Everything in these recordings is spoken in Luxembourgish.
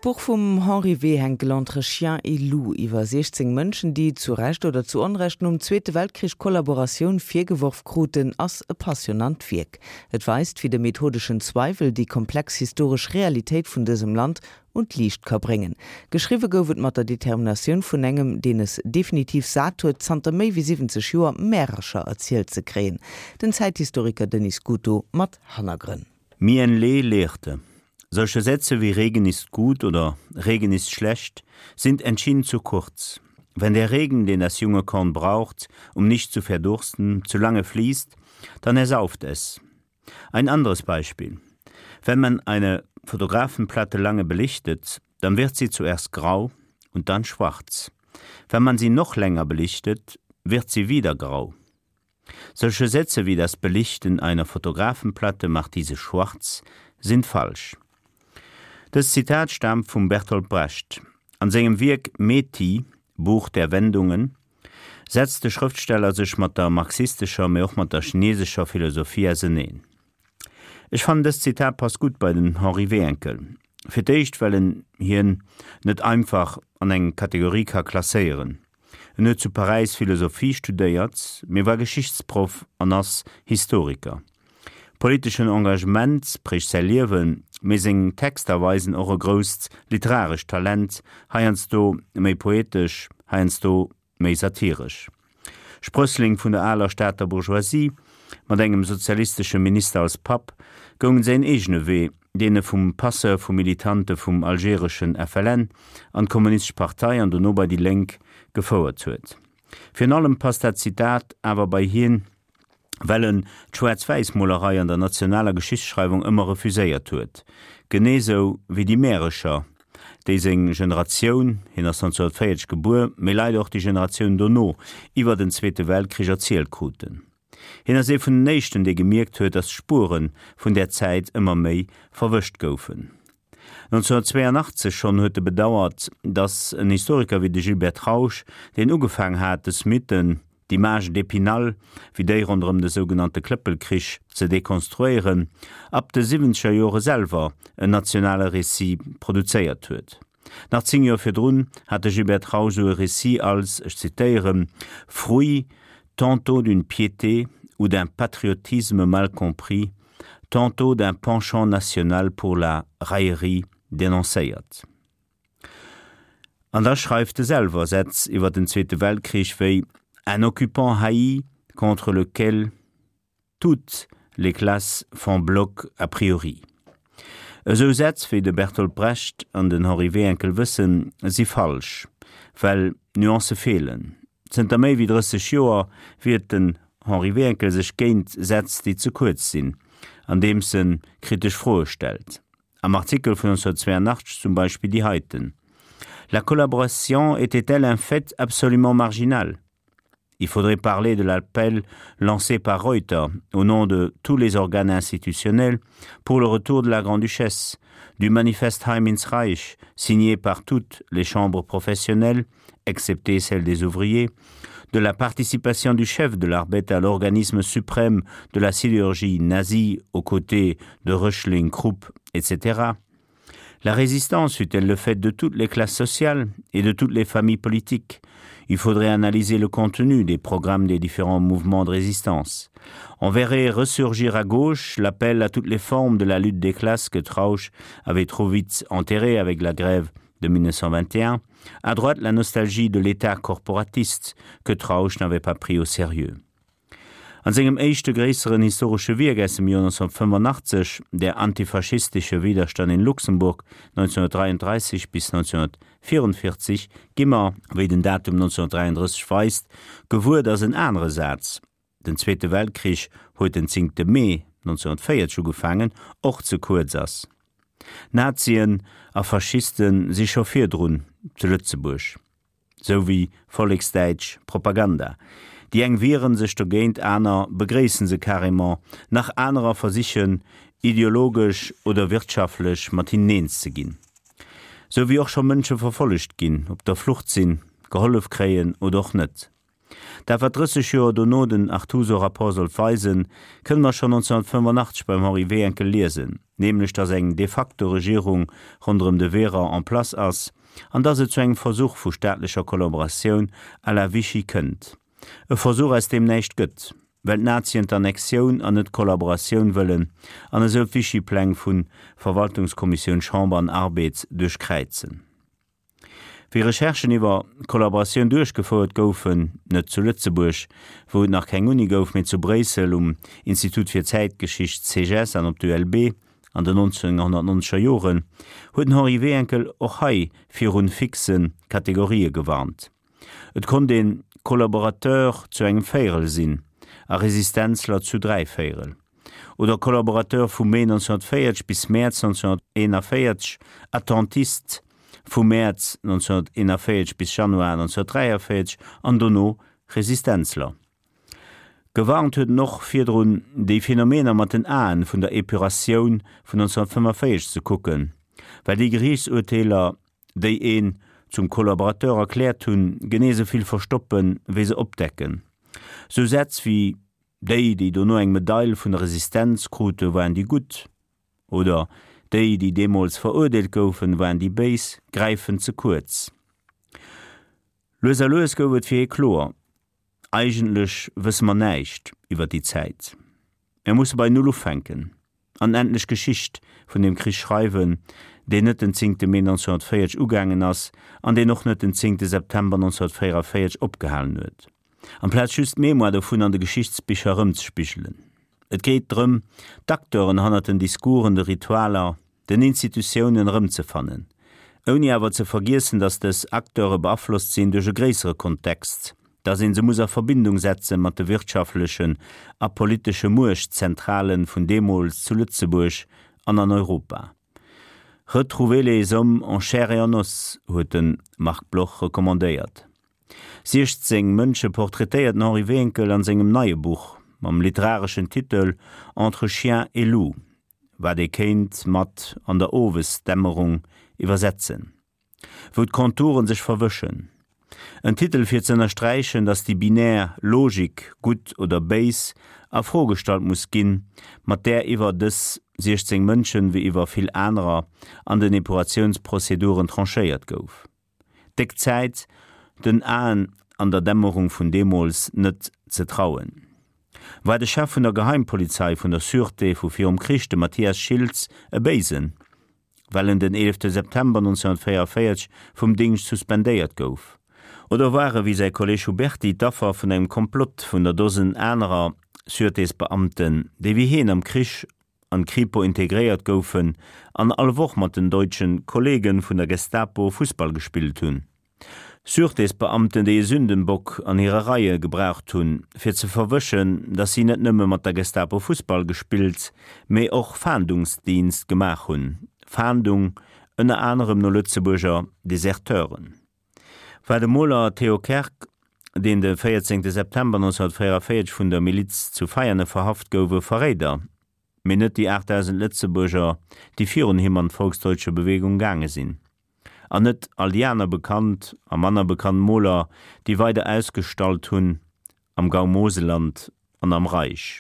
D'Buch vum Henri Wehenkel Entre chien et loup iwwer 16 Mënschen, déi, zu Recht oder zu Onrecht, nom Zweete Weltkrich Kollaboratioun virgeworf kruten, ass e passionnant Wierk. Et weist, wéi de methodeschen Zweiwel déi komplex historesch Realitéit vun dësem Land un d'Liicht ka bréngen. Geschriwwe gouf et mat der Determinatioun vun engem, deen es definitiv sat huet, zanter méi wéi 70 Joer Märercher erzielt ze kréien. Den Zäithistoriker Denis Scuto mat Hannergrënn. Mien Lee lehrte. Solche Sätze wie Regen ist gut oder Regen ist schlecht sind entschieden zu kurz. Wenn der Regen, den das junge Korn braucht, um nicht zu verdursten, zu lange fließt, dann ersauft es. Ein anderes Beispiel. Wenn man eine Fotografenplatte lange belichtet, dann wird sie zuerst grau und dann schwarz. Wenn man sie noch länger belichtet, wird sie wieder grau. Solche Sätze wie das Belichten einer Fotografenplatte macht diese schwarz sind falsch. Dëst Zitat staamt vum Bertolt Brecht. An sengem Wierk Métis, Buch der Wendungen setzt de Schrëftsteller sech mat der marxistescher, mee och mat der chinesescher Philosophie auseneen. Ech fannen dëst Zitat passt gutt bei den Henri Wehenkel. Fir d'éischt well en hien net einfach an eng Kategorie ka klasséieren. En huet zu Paräis Philosophie studéiert, mee war Geschichtsproff an ass Historiker. Politeschen Engagement prägt säi Liewen, mee seng Texter weisen och e grousst literarescht Talent, heiansdo méi poetesch, heiansdo méi satiresch. Sprössling vun der aler Stater Bourgeoisie, mat engem sozialistesche Minister als Papp, goung en säin eegene Wee, deen e vum Passeur vu Militante vum algereschen FLN an d'Kommunistesch Partei an dono bei déi Lénk gefouert huet. Virun allem passt dat Zitat awer bei hien, well en d'Schwaarz-Wäiss-Molerei an der nationaler Geschichtsschreiwung ëmmer refuséiert huet, genee sou wéi déi Märecher, déi seng Generatioun, hien ass 1940 gebuer, mee leider och déi Generatioun dono, iwwer den Zweete Weltkrich erzielt kruten. Hien ass ee vun den éischten, dee gemierkt huet, datt d'Spuere vun där Zäit ëmmer méi verwëscht goufen. 1982 schonn huet e bedauert, datt en Historiker wéi de Gilbert Trausch, deen ugefaang hat, dës Mythen, d'Image d'Épinal, wéi déi ronderëm de sougenannte Klëppelkrich, ze dekonstruéieren, ab de siwwenzeger Jore selwer en nationale Récit produzéiert huet. Nach 10 Joer virdrun hat de Gilbert Trausch esou e Récit als, ech zitéieren, fruit tantôt d'une piété ou d'un patriotisme mal compris, tantôt d'un penchant national pour la raillerie dénoncéiert. An da schreift e selwer Sätz iwwer den Zweete Weltkrich wéi Un occupant haï contre lequel toutes les classes font bloc a priori. Esou Sätz, wéi de Bertolt Brecht an den Henri Wehenkel wëssen, si falsch, well Nuancë feelen. Zënter méi wéi 30 Joer wiert den Henri Wehenkel sech géint Sätz, déi ze kuerz sinn, andeems en kritesch Froe stellt. Am Artikel vun 1982 zum Beispill déi heiten, La collaboration était-elle un fait absolument marginal? Il faudrait parler de l'appel lancé par Reuter au nom de tous les organes institutionnels pour le retour de la Grande-Duchesse, du manifeste Heim ins Reich, signé par toutes les chambres professionnelles, excepté celle des ouvriers, de la participation du chef de l'Arbet à l'organisme suprême de la sidérurgie nazie aux côtés de Röchling, Krupp, etc. La résistance fut-elle le fait de toutes les classes sociales et de toutes les familles politiques Il faudrait analyser le contenu des programmes des différents mouvements de résistance. On verrait ressurgir à gauche l'appel à toutes les formes de la lutte des classes que Trausch avait trop vite enterré avec la grève de 1921, à droite la nostalgie de l'état corporatiste que Trausch n'avait pas pris au sérieux. An sengem éischte gréisseren historesche Wierk aus dem Joer 1985, Der antifaschistische Widerstand in Luxemburg 1933 bis 1944, gi mer, wéi den Datum 1933 weist, gewuer, datt en anere Saz, Den Zweete Weltkrich huet den zéngte Mee 1940 ugefaangen, och ze kuerz ass. Nazien a Faschiste si scho virdrun zu Lëtzebuerg. Sou wéi volleksdäitsch Propaganda. Déi eng wieren sech dogéint, aner begréissen se carrément, nach anerer versichen ideologesch oder wirtschaftlech mat hinnen eens ze ginn. Sou wéi och scho Mënsche verfollegt ginn, op der Flucht sinn, gehollef kréien oder och net. Dat wat 30 Joer dono den Artuso-Rapport sollt weisen, kënne mer schonn 1985 beim Henri Wehenkel liesen, nämlech datt eng de facto Regierung ronderëm de Véran en place ass an datt et zu engem Versuch vu staatlecher Kollaboratioun à la Vichy kënnt. E Versuch aus deem näischt gëtt, well d'Nazien d'Annexioun an net d'Kollaboratioun wëllen an esou d'Vichy-Pläng vu Verwaltungskommissioun, Chamber an Arbed duerchkräizen. Wéi Recherchen iwwer Kollaboratioun duerchgefouert goufen, net zu Lëtzebuerg, wou et nach keng Uni gouf, mee zu Bréissel um Institut fir Zäitgeschicht, CEGES, an op d'ULB an den 1990er Joren, huet den Henri Wehenkel och hei virun fixe Kategorië gewarnt. Et konnt een Kollaborateur zu engem Véierel sinn a Resistenzler zu dräivéierel. Oder Kollaborateur vu Mee 1940 bis Mäerz 1941, Attentist vu Mäerz 1941 bis Januar 1943 an dono Resistenzler. Gewarnt huet en och virdrun, déi Phänomener mat den Aen vun der Epuratioun vun 1945 ze kucken, well déi Geriichtsurteeler, déi een zum Kollaborateur erkläert hunn, genee sou vill verstoppen, wéi se opdecken. Sou Sätz wéi Déi, déi dono eng Medail vun der Resistenz krute, waren déi Gutt, oder Déi, déi deemools verurdeelt goufen, waren déi Béis, gräifen ze kuerz. Lues a lues gouf et fir hie kloer, Eigentlech wësse mer näischt iwwer déi Zäit. Mir musse bei Null ufänken an endlech Geschicht vun deem Krich schreiwen, deen net den zéngte Mee 1940 ugaangen ass an deen och net den zéngte September 1944 opgehalen huet. Amplaz just d'Mémoire dovun an de Geschichtsbicher erëmzespigelen. Et geet drëm, d'Acteuren hannert den Discoursen, de Ritualer, den Institutiounen erëmzefannen, ouni awer ze vergiessen, datt dës Acteure beaflosst sinn duerch e gréissere Kontext, datt ee se muss a Verbindung setze mat de wirtschaftlechen a politesche Muechtzentrale vun deemools zu Lëtzebuerg an an Europa. Retrouver les hommes en chair et en os, huet de Marc Bloch recommandéiert. 16 Mënsche portraitéiert den Henri Wehenkel an sengem neie Buch mam literareschen Titel Entre chien et loup, wat ee kéint mat An der Owesdämmerung iwwersetzen, wou d'Konturen sech verwëschen. En Titel fir ze ënnersträichen, datt déi binär Logik gutt oder béis a Fro gestallt muss ginn, mat där iwwer dës 16 Mënschen, wéi iwwer vill anerer, an den Epuratiounsprozeduren tranchéiert gouf. Déck Zäit, den Aen an der Dämmerung vun deemools net ze trauen. War de Chef vun der Geheimpolizei vun der Sûreté vu virum Krich, de Mathias Schiltz, e Béisen, well en den 11 September 1944 vum Dingscht suspendéiert gouf? Oder war e wéi säi Kolleg Huberty d'Affer vun engem Komplott vun der Dosen anerer Sûretésbeamten, déi wéi hien am Krich an d'Kripo integréiert goufen an all Woch mat den deutschen Kollegen vun der Gestapo Fussball gespillt hunn. Sûretésbeamten, déi e Sündenbock an hire Reie gebraucht hunn, fir ze verwëschen, dass si net nëmme mat der Gestapo Fussball gespillt, mee och Fahndungsdienst gemaach hunn, Fahndung ënner anerem no Lëtzebuerger Deserteuren. War de Moler Theo Kerg, deen de 14 September 1944 vun der Miliz zu Veianen verhaft gouf, e Verréider, mee net déi 8.000 Lëtzebuerger, déi virun him an d'Volksdeutsche Bewegung gaange sinn. An net all déi aner bekannt a manner bekannt Moler, déi weider ausgestallt hunn am Gau Moselland an am Reich.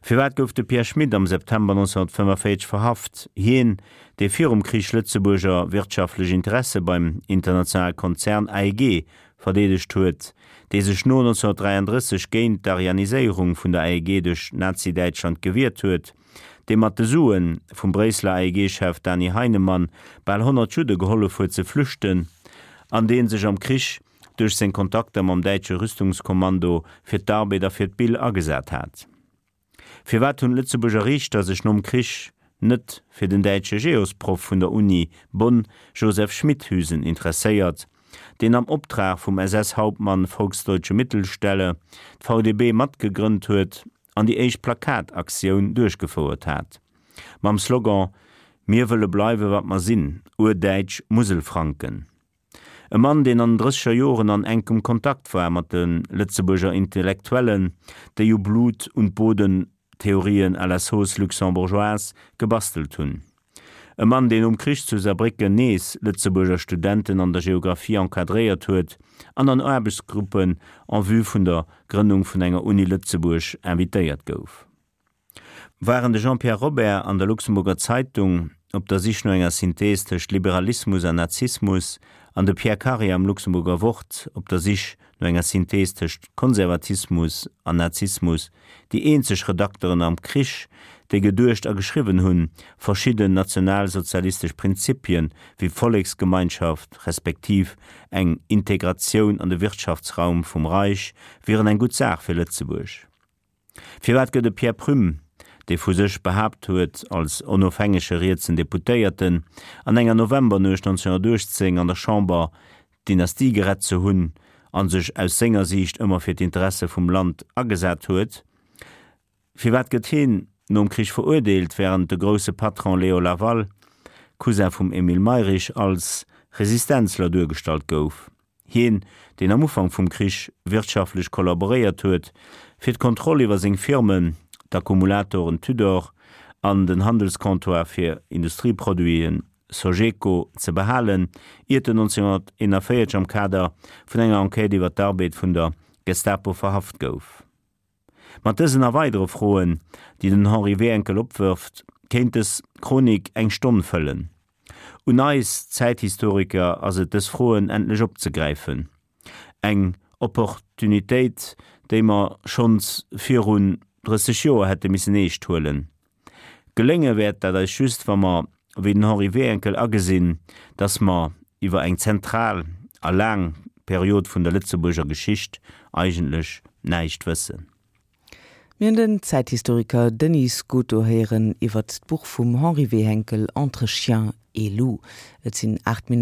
Firwat gouf de Pierre Schmit am September 1945 verhaft, hien, dee virum Krich Lëtzebuerger wirtschaftlech Interesse beim internationale Konzern AEG verdeedegt huet, dee sech no 1933 géint d'Aryaniséierung vun der AEG duerch Nazi-Däitschland gewiert huet, dee mat de Sue vum Bréisseler AEG-Chef Dany Heinemann bal 100 Judde gehollef huet ze flüchten an dee sech am Krich duerch seng Kontakter mam däitsche Rüstungskommando fir d'Arbed a fir d'Bill agesat hat. Firwat hunn d'Lëtzebuerger Riichter sech nom Krich net fir den däitsche Geosproff vun der Uni Bonn Joseph Schmithüsen interesséiert, deen am Optrag vum SS-Hauptmann Volksdeutsche Mittelstelle d'VDB matgegrënnt huet an déi éischt Plakataktioun duerchgefouert hat, mam Slogan Mir wëlle bleiwe wat mer sinn, urdäitsch Muselfranken. E Mann, deen an den drësseger Joren an enkem Kontakt war mat de Lëtzebuerger Intellektuellen, déi u Blut und Boden-Theorien à la sauce luxembourgeoise gebastelt hunn. E Mann, deen nom Krich zu Saarbrécken nees Lëtzebuerger Studenten an der Geographie encadréiert huet an an Aarbechtsgruppen en vue vun der Grënnung vun enger Uni Lëtzebuerg invitéiert gouf. Waren de Jean-Pierre Robert an der Luxemburger Zeitung op der Sich no enger Synthees tëscht Liberalismus an Nazismus an de Pierre Karier am Luxemburger Wort op der Sich no enger Synthees tëscht Konservatismus an Nazismus, déi eenzeg Redakteren am Krich, déi geduecht a geschriwwen hunn, verschidden nationalsozialistesch Prinzipien wéi Volleksgemeinschaft respektiv eng Integratioun an de Wirtschaftsraum vum Reich wieren eng gutt Saach fir Lëtzebuerg. Firwat gëtt e Pierre Prüm, dee vu sech behaapt huet, als onofhängege rietsen Deputéierten an enger Novembernuecht 1918 an der Chamber d'Dynastie gerett ze hunn a sech aus senger Siicht ëmmer fir d'Interesse vum Land agesat huet, firwat gëtt heen nom Krich verurdeelt, wärend de grousse Patron Léo Laval, Cousin vum Emile Mayrisch, als Resistenzler duergestallt gouf? Hien, deen am Ufank vum Krich wirtschaftlech kollaboréiert huet, fir d'Kontroll iwwer seng Firmen, d'Akkumulatoren Tudor an den Handelscomptoir fir Industrieproduiten Sogeco, ze behalen, iert en 1941 am Kader vun enger Enquête iwwer d'Arbed vun der Gestapo verhaft gouf. Mat dësen a weidere Froen, déi den Henri Wehenkel opwërft, kéint dës Chronik eng Stonn fëllen. Un eis Zäithistoriker ass et, dës Froen endlech opzegräifen. Eng Opportunitéit, déi mer schonns virun 30 Joer hätte missen eescht huelen. Gelénge wäert dat eis just, wa mer, wéi den Henri Wehenkel, agesinn, dass mer iwwer eng zentral a laang Period vun der Lëtzebuerger Geschicht eigentlech näischt wëssen. Mir hunn den Zäithistoriker Denis Scuto héieren iwwert d'Buch vum Henri Wehenkel Entre chien et loup. Et sinn 8 Minutten.